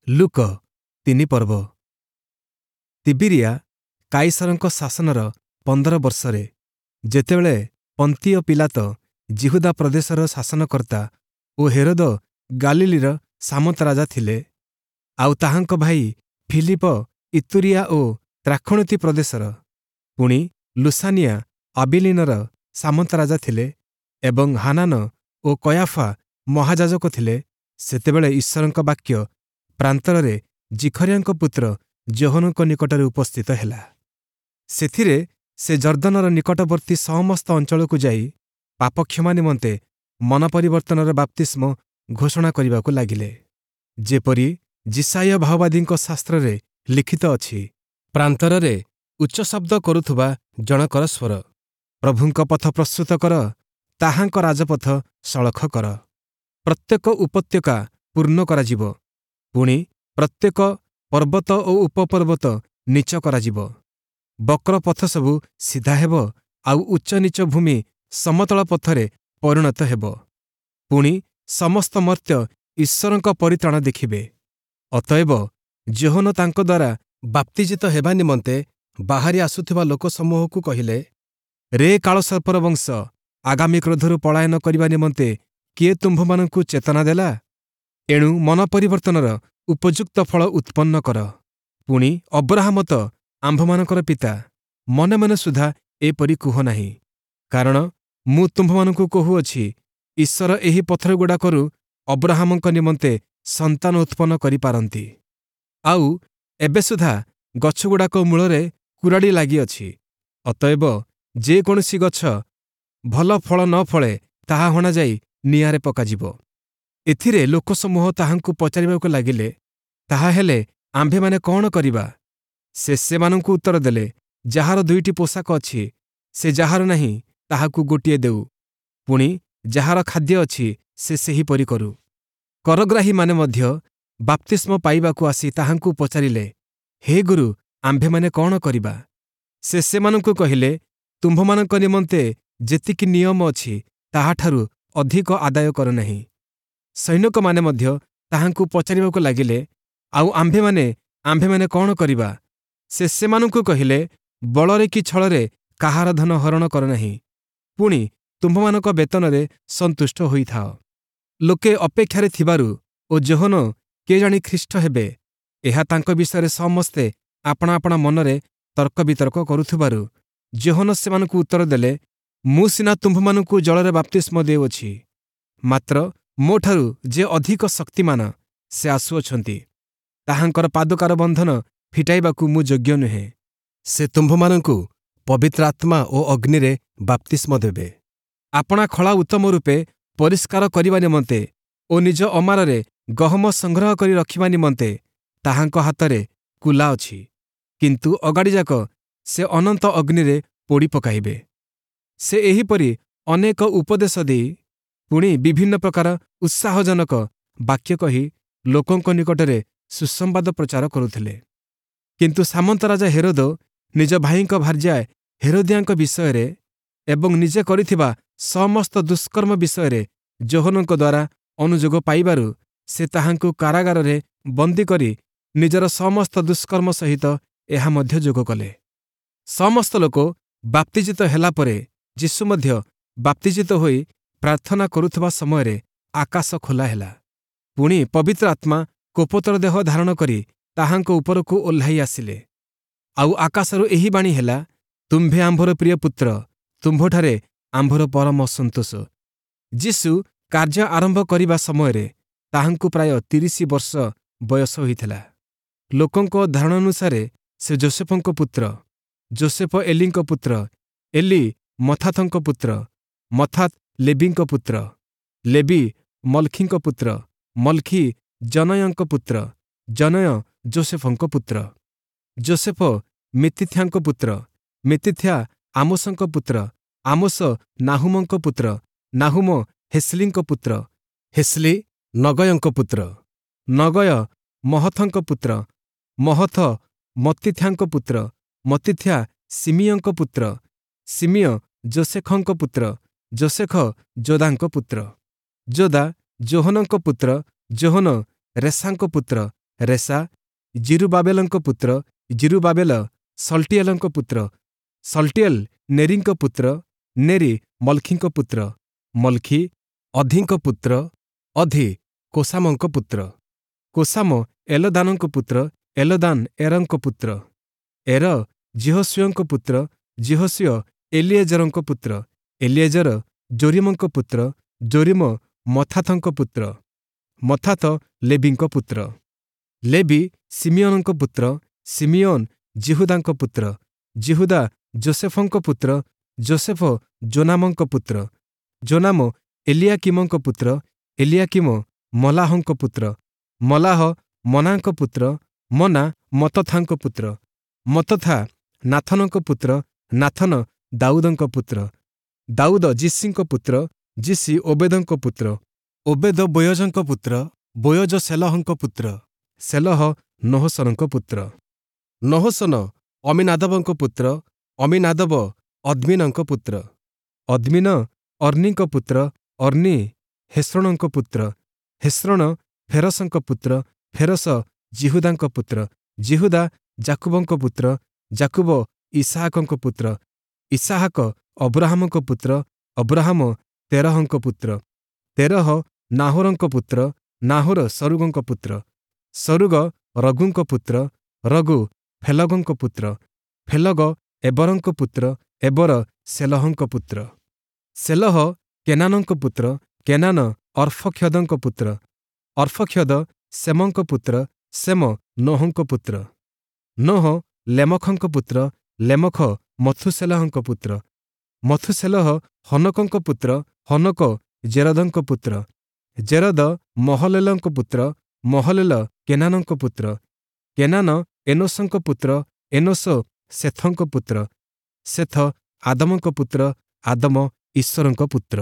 ଲୂକ 3 ପର୍ବ। ତିବିରିଆ କାଇସରଙ୍କ ଶାସନର 15 ବର୍ଷରେ, ଯେତେବେଳେ ପନ୍ତିୟ ପୀଲାତ ଯିହୁଦା ପ୍ରଦେଶର ଶାସନକର୍ତ୍ତା ଓ ହେରୋଦ ଗାଲିଲୀର ସାମନ୍ତରାଜା ଥିଲେ, ଆଉ ତାହାଙ୍କ ଭାଇ ଫିଲିପ ଇତୁରିଆ ଓ ତ୍ରାଖୋଣତି ପ୍ରଦେଶର, ପୁଣି ଲୁସାନିଆ ଆବିଲିନର ସାମନ୍ତରାଜା ଥିଲେ ଏବଂ ହାନାନ ଓ କୟାଫା ମହାଯାଜକ ଥିଲେ, ସେତେବେଳେ ଈଶ୍ୱରଙ୍କ ବାକ୍ୟ ପ୍ରାନ୍ତରରେ ଜିଖରିୟାଙ୍କ ପୁତ୍ର ଯୋହନଙ୍କ ନିକଟରେ ଉପସ୍ଥିତ ହେଲା। ସେଥିରେ ସେ ଯର୍ଦ୍ଦନର ନିକଟବର୍ତ୍ତୀ ସମସ୍ତ ଅଞ୍ଚଳକୁ ଯାଇ ପାପକ୍ଷମା ନିମନ୍ତେ ମନ ପରିବର୍ତ୍ତନର ବାପ୍ତିସ୍ମ ଘୋଷଣା କରିବାକୁ ଲାଗିଲେ। ଯେପରି ଯିଶାଇୟ ଭାଓବାଦୀଙ୍କ ଶାସ୍ତ୍ରରେ ଲିଖିତ ଅଛି, ପ୍ରାନ୍ତରରେ ଉଚ୍ଚ ଶବ୍ଦ କରୁଥିବା ଜଣକର ସ୍ୱର, ପ୍ରଭୁଙ୍କ ପଥ ପ୍ରସ୍ତୁତ କର, ତାହାଙ୍କ ରାଜପଥ ସଳଖ କର। ପ୍ରତ୍ୟେକ ଉପତ୍ୟକା ପୂର୍ଣ୍ଣ କରାଯିବ, ପୁଣି ପ୍ରତ୍ୟେକ ପର୍ବତ ଓ ଉପପର୍ବତ ନୀଚ କରାଯିବ। ବକ୍ର ପଥ ସବୁ ସିଧା ହେବ, ଆଉ ଉଚ୍ଚ ନୀଚ ଭୂମି ସମତଳ ପଥରେ ପରିଣତ ହେବ। ପୁଣି ସମସ୍ତ ମର୍ତ୍ତ୍ୟ ଈଶ୍ୱରଙ୍କ ପରିତ୍ରାଣ ଦେଖିବେ। ଅତଏବ ଯୋହନ ତାଙ୍କ ଦ୍ୱାରା ବାପ୍ତିଜିତ ହେବା ନିମନ୍ତେ ବାହାରି ଆସୁଥିବା ଲୋକସମୂହକୁ କହିଲେ, ରେ କାଳସର୍ପର ବଂଶ, ଆଗାମୀ କ୍ରୋଧରୁ ପଳାୟନ କରିବା ନିମନ୍ତେ କିଏ ତୁମ୍ଭମାନଙ୍କୁ ଚେତନା ଦେଲା? ଏଣୁ ମନ ପରିବର୍ତ୍ତନର ଉପଯୁକ୍ତ ଫଳ ଉତ୍ପନ୍ନ କର। ପୁଣି ଅବ୍ରାହମ ତ ଆମ୍ଭମାନଙ୍କର ପିତା, ମନେ ମନେ ସୁଦ୍ଧା ଏପରି କୁହ ନାହିଁ। କାରଣ ମୁଁ ତୁମ୍ଭମାନଙ୍କୁ କହୁଅଛି, ଈଶ୍ୱର ଏହି ପଥରଗୁଡ଼ାକରୁ ଅବ୍ରାହମଙ୍କ ନିମନ୍ତେ ସନ୍ତାନ ଉତ୍ପନ୍ନ କରିପାରନ୍ତି। ଆଉ ଏବେ ସୁଦ୍ଧା ଗଛଗୁଡ଼ାକ ମୂଳରେ କୁରାଢ଼ି ଲାଗିଅଛି। ଅତଏବ ଯେ କୌଣସି ଗଛ ଭଲ ଫଳ ନ ଫଳେ, ତାହା ହଣାଯାଇ ନିଆଁରେ ପକାଯିବ। ଏଥିରେ ଲୋକସମୂହ ତାହାଙ୍କୁ ପଚାରିବାକୁ ଲାଗିଲେ, ତାହାହେଲେ ଆମ୍ଭେମାନେ କଣ କରିବା? ସେ ସେମାନଙ୍କୁ ଉତ୍ତର ଦେଲେ, ଯାହାର 2ଟି ପୋଷାକ ଅଛି, ସେ ଯାହାର ନାହିଁ ତାହାକୁ ଗୋଟିଏ ଦେଉ, ପୁଣି ଯାହାର ଖାଦ୍ୟ ଅଛି ସେ ସେହିପରି କରୁ। କରଗ୍ରାହୀମାନେ ମଧ୍ୟ ବାପ୍ତିସ୍ମ ପାଇବାକୁ ଆସି ତାହାଙ୍କୁ ପଚାରିଲେ, ହେ ଗୁରୁ, ଆମ୍ଭେମାନେ କଣ କରିବା? ସେ ସେମାନଙ୍କୁ କହିଲେ, ତୁମ୍ଭମାନଙ୍କ ନିମନ୍ତେ ଯେତିକି ନିୟମ ଅଛି ତାହାଠାରୁ ଅଧିକ ଆଦାୟ କର ନାହିଁ। ସୈନିକମାନେ ମଧ୍ୟ ତାହାଙ୍କୁ ପଚାରିବାକୁ ଲାଗିଲେ, ଆଉ ଆମ୍ଭେମାନେ କଣ କରିବା? ସେ ସେମାନଙ୍କୁ କହିଲେ, ବଳରେ କି ଛଳରେ କାହାର ଧନ ହରଣ କର ନାହିଁ, ପୁଣି ତୁମ୍ଭମାନଙ୍କ ବେତନରେ ସନ୍ତୁଷ୍ଟ ହୋଇଥାଅ। ଲୋକେ ଅପେକ୍ଷାରେ ଥିବାରୁ ଓ ଯୋହନ କେଜାଣି ଖ୍ରୀଷ୍ଟ ହେବେ, ଏହା ତାଙ୍କ ବିଷୟରେ ସମସ୍ତେ ଆପଣା ଆପଣା ମନରେ ତର୍କ ବିତର୍କ କରୁଥିବାରୁ ଯୋହନ ସେମାନଙ୍କୁ ଉତ୍ତର ଦେଲେ, ମୁଁ ସିନା ତୁମ୍ଭମାନଙ୍କୁ ଜଳରେ ବାପ୍ତିସ୍ମ ଦେଉଅଛି, ମାତ୍ର ମୋଠାରୁ ଯେ ଅଧିକ ଶକ୍ତିମାନ ସେ ଆସୁଅଛନ୍ତି, ତାହାଙ୍କର ପାଦୁକାର ବନ୍ଧନ ଫିଟାଇବାକୁ ମୁଁ ଯୋଗ୍ୟ ନୁହେଁ। ସେ ତୁମ୍ଭମାନଙ୍କୁ ପବିତ୍ର ଆତ୍ମା ଓ ଅଗ୍ନିରେ ବାପ୍ତିସ୍ମ ଦେବେ। ଆପଣା ଖଳା ଉତ୍ତମ ରୂପେ ପରିଷ୍କାର କରିବା ନିମନ୍ତେ ଓ ନିଜ ଅମାରରେ ଗହମ ସଂଗ୍ରହ କରି ରଖିବା ନିମନ୍ତେ ତାହାଙ୍କ ହାତରେ କୁଲା ଅଛି, କିନ୍ତୁ ଅଗାଡ଼ିଯାକ ସେ ଅନନ୍ତ ଅଗ୍ନିରେ ପୋଡ଼ି ପକାଇବେ। ସେ ଏହିପରି ଅନେକ ଉପଦେଶ ଦେଇ ପୁଣି ବିଭିନ୍ନ ପ୍ରକାର ଉତ୍ସାହଜନକ ବାକ୍ୟ କହି ଲୋକଙ୍କ ନିକଟରେ ସୁସମ୍ବାଦ ପ୍ରଚାର କରୁଥିଲେ। କିନ୍ତୁ ସାମନ୍ତରାଜା ହେରୋଦ ନିଜ ଭାଇଙ୍କ ଭାର୍ଯ୍ୟା ହେରୋଦିଆଙ୍କ ବିଷୟରେ ଏବଂ ନିଜେ କରିଥିବା ସମସ୍ତ ଦୁଷ୍କର୍ମ ବିଷୟରେ ଯୋହନଙ୍କ ଦ୍ୱାରା ଅନୁଯୋଗ ପାଇବାରୁ ସେ ତାହାଙ୍କୁ କାରାଗାରରେ ବନ୍ଦୀ କରି ନିଜର ସମସ୍ତ ଦୁଷ୍କର୍ମ ସହିତ ଏହା ମଧ୍ୟ ଯୋଗ କଲେ। ସମସ୍ତ ଲୋକ ବାପ୍ତିଜିତ ହେଲା ପରେ ଯୀଶୁ ମଧ୍ୟ ବାପ୍ତିଜିତ ହୋଇ ପ୍ରାର୍ଥନା କରୁଥିବା ସମୟରେ ଆକାଶ ଖୋଲା ହେଲା। ପୁଣି ପବିତ୍ର ଆତ୍ମା କୋପତର ଦେହ ଧାରଣ କରି ତାହାଙ୍କ ଉପରକୁ ଓହ୍ଲାଇ ଆସିଲେ। ଆଉ ଆକାଶରୁ ଏହି ବାଣୀ ହେଲା, ତୁମ୍ଭେ ଆମ୍ଭର ପ୍ରିୟ ପୁତ୍ର, ତୁମ୍ଭଠାରେ ଆମ୍ଭର ପରମ ସନ୍ତୋଷ। ଯୀଶୁ କାର୍ଯ୍ୟ ଆରମ୍ଭ କରିବା ସମୟରେ ତାହାଙ୍କୁ ପ୍ରାୟ 30 ବର୍ଷ ବୟସ ହୋଇଥିଲା। ଲୋକଙ୍କ ଧାରଣାନୁସାରେ ସେ ଯୋସେଫଙ୍କ ପୁତ୍ର, ଯୋସେଫ ଏଲିଙ୍କ ପୁତ୍ର, ଏଲି ମଥାଥଙ୍କ ପୁତ୍ର, ମଥାତ ଲେବିଙ୍କ ପୁତ୍ର, ଲେବି ମଲ୍ଖିଙ୍କ ପୁତ୍ର, ମଲ୍ଖି ଜନୟଙ୍କ ପୁତ୍ର, ଜନୟ ଯୋସେଫଙ୍କ ପୁତ୍ର, ଯୋସେଫ ମିତିଥ୍ୟାଙ୍କ ପୁତ୍ର, ମିତିଥ୍ୟା ଆମୋସଙ୍କ ପୁତ୍ର, ଆମୋସ ନାହୁମଙ୍କ ପୁତ୍ର, ନାହୁମ ହେସ୍ଲିଙ୍କ ପୁତ୍ର, ହେସ୍ଲି ନଗୟଙ୍କ ପୁତ୍ର, ନଗୟ ମହଥଙ୍କ ପୁତ୍ର, ମହଥ ମତ୍ତିଥ୍ୟାଙ୍କ ପୁତ୍ର, ମତ୍ତିଥ୍ୟା ସିମିୟଙ୍କ ପୁତ୍ର, ସିମିୟ ଯୋସେଖଙ୍କ ପୁତ୍ର, ଯୋସେଖ ଯୋଦାଙ୍କ ପୁତ୍ର, ଯୋଦା ଯୋହନଙ୍କ ପୁତ୍ର, ଯୋହନ ରେସାଙ୍କ ପୁତ୍ର, ରେସା ଜିରୁବାବେଲଙ୍କ ପୁତ୍ର, ଜିରୁବାବେଲ ସଲ୍ଟିଏଲଙ୍କ ପୁତ୍ର, ସଲ୍ଟିଏଲ ନେରିଙ୍କ ପୁତ୍ର, ନେରି ମଲ୍ଖିଙ୍କ ପୁତ୍ର, ମଲ୍ଖି ଅଧିଙ୍କ ପୁତ୍ର, ଅଧି କୋସାମଙ୍କ ପୁତ୍ର, କୋସାମ ଏଲଦାନଙ୍କ ପୁତ୍ର, ଏଲଦାନ ଏରଙ୍କ ପୁତ୍ର, ଏର ଯିହୋଶୂୟଙ୍କ ପୁତ୍ର, ଯିହୋଶୂୟ ଏଲିଏଜରଙ୍କ ପୁତ୍ର, ଏଲିଏଜର ଯୋରୀମଙ୍କ ପୁତ୍ର, ଯୋରୀମ ମତ୍ଥାଥଙ୍କ ପୁତ୍ର, ମତ୍ଥାଥ ଲେବିଙ୍କ ପୁତ୍ର, ଲେବି ଶିମିୟୋନଙ୍କ ପୁତ୍ର, ଶିମିୟୋନ ଯିହୁଦାଙ୍କ ପୁତ୍ର, ଯିହୁଦା ଯୋସେଫଙ୍କ ପୁତ୍ର, ଯୋସେଫ ଯୋନାମଙ୍କ ପୁତ୍ର, ଯୋନାମ ଏଲିୟାକୀମଙ୍କ ପୁତ୍ର, ଏଲିୟାକୀମ ମଲାହଙ୍କ ପୁତ୍ର, ମଲାହ ମନାଙ୍କ ପୁତ୍ର, ମନା ମତ୍ତଥାଙ୍କ ପୁତ୍ର, ମତ୍ତଥା ନାଥନଙ୍କ ପୁତ୍ର, ନାଥନ ଦାଉଦଙ୍କ ପୁତ୍ର, ଦାଉଦ ଯିଶୀଙ୍କ ପୁତ୍ର, ଯିଶୀ ଓବେଦଙ୍କ ପୁତ୍ର, ଓବେଦ ବୋୟଜଙ୍କ ପୁତ୍ର, ବୋୟଜ ସେଲହଙ୍କ ପୁତ୍ର, ସେଲହ ନହଶୋନଙ୍କ ପୁତ୍ର, ନହଶୋନ ଅମ୍ମୀନାଦବଙ୍କ ପୁତ୍ର, ଅମ୍ମୀନାଦବ ଅଦ୍ମୀନଙ୍କ ପୁତ୍ର, ଅଦ୍ମୀନ ଅର୍ନୀଙ୍କ ପୁତ୍ର, ଅର୍ନୀ ହେସ୍ରୋଣଙ୍କ ପୁତ୍ର, ହେସ୍ରୋଣ ଫେରସଙ୍କ ପୁତ୍ର, ଫେରସ ଯିହୁଦାଙ୍କ ପୁତ୍ର, ଯିହୁଦା ଯାକୁବଙ୍କ ପୁତ୍ର, ଯାକୁବ ଇସାହାକଙ୍କ ପୁତ୍ର, ଇସାହାକ ଅବ୍ରାହାମଙ୍କ ପୁତ୍ର, ଅବ୍ରାହାମ ତେରହଙ୍କ ପୁତ୍ର, ତେରହ ନାହୋରଙ୍କ ପୁତ୍ର, ନାହୋର ସରୁଗଙ୍କ ପୁତ୍ର, ସରୁଗ ରଗୁଙ୍କ ପୁତ୍ର, ରଗୁ ଫେଲଗଙ୍କ ପୁତ୍ର, ଫେଲଗ ଏବରଙ୍କ ପୁତ୍ର, ଏବର ସେଲହଙ୍କ ପୁତ୍ର, ସେଲହ କେନାନଙ୍କ ପୁତ୍ର, କେନାନ ଅର୍ଫକ୍ଷଦଙ୍କ ପୁତ୍ର, ଅର୍ଫକ୍ଷଦ ସେମଙ୍କ ପୁତ୍ର, ସେମ ନୋହଙ୍କ ପୁତ୍ର, ନୋହ ଲେମଖଙ୍କ ପୁତ୍ର, ଲେମଖ ମଥୁସେଲହଙ୍କ ପୁତ୍ର, ମଥୁସେଲହ ହନୋକଙ୍କ ପୁତ୍ର, ହନୋକ ଜେରଦଙ୍କ ପୁତ୍ର, ଜେରଦ ମହଲେଲଙ୍କ ପୁତ୍ର, ମହଲେଲ କେନାନଙ୍କ ପୁତ୍ର, କେନାନ ଏନୋସଙ୍କ ପୁତ୍ର, ଏନୋସ ସେଥଙ୍କ ପୁତ୍ର, ସେଥ ଆଦମଙ୍କ ପୁତ୍ର, ଆଦମ ଈଶ୍ୱରଙ୍କ ପୁତ୍ର।